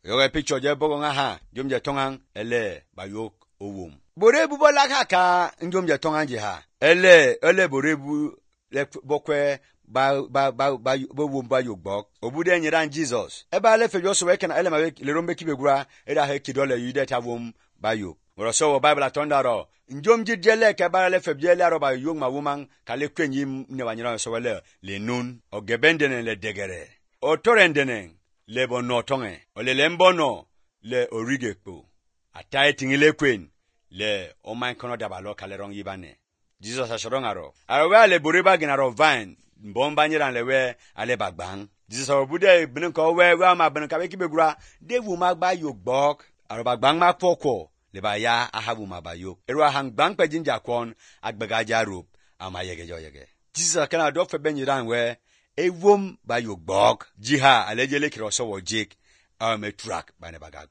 Yoga picture je bogo nga ha. Jom je tongang ele bayok owum. Borebu bola kaka njom je tongang je ha. Ele borebu le bokwe ba wum ba yok bok. Obude nyiran Jesus. Eba le fejo so weken ele ma le rombe kibegura era he kidole yude ta wum ba yok. Woro so Bible atondaro. Njom jidjele ke ba le febjele aro ba yok ma woman kale kwenyi ne wanyira so wele le nun o gebendene le degere. O torendene le bonotonge o le lembono le origekpo. Atai tingile kwen le o man kono dabalo kale rong yibane. Jesus ashorongaro. Awe le boriba ginaro vine mbomba nyiran lewe ale bagbang. Jesus obude binin ko we ma binin ka be kibegura de wu ma gba yok bok aro bagbang ma poko le ba ya ahabu ma ba yok. Eru hang bang pe jinja kwon agbega jarup ama yege. Jesus kana do fe benyiran we ewom ba yok bok jiha alejele kiro so wo jik me truck ba ne bagag.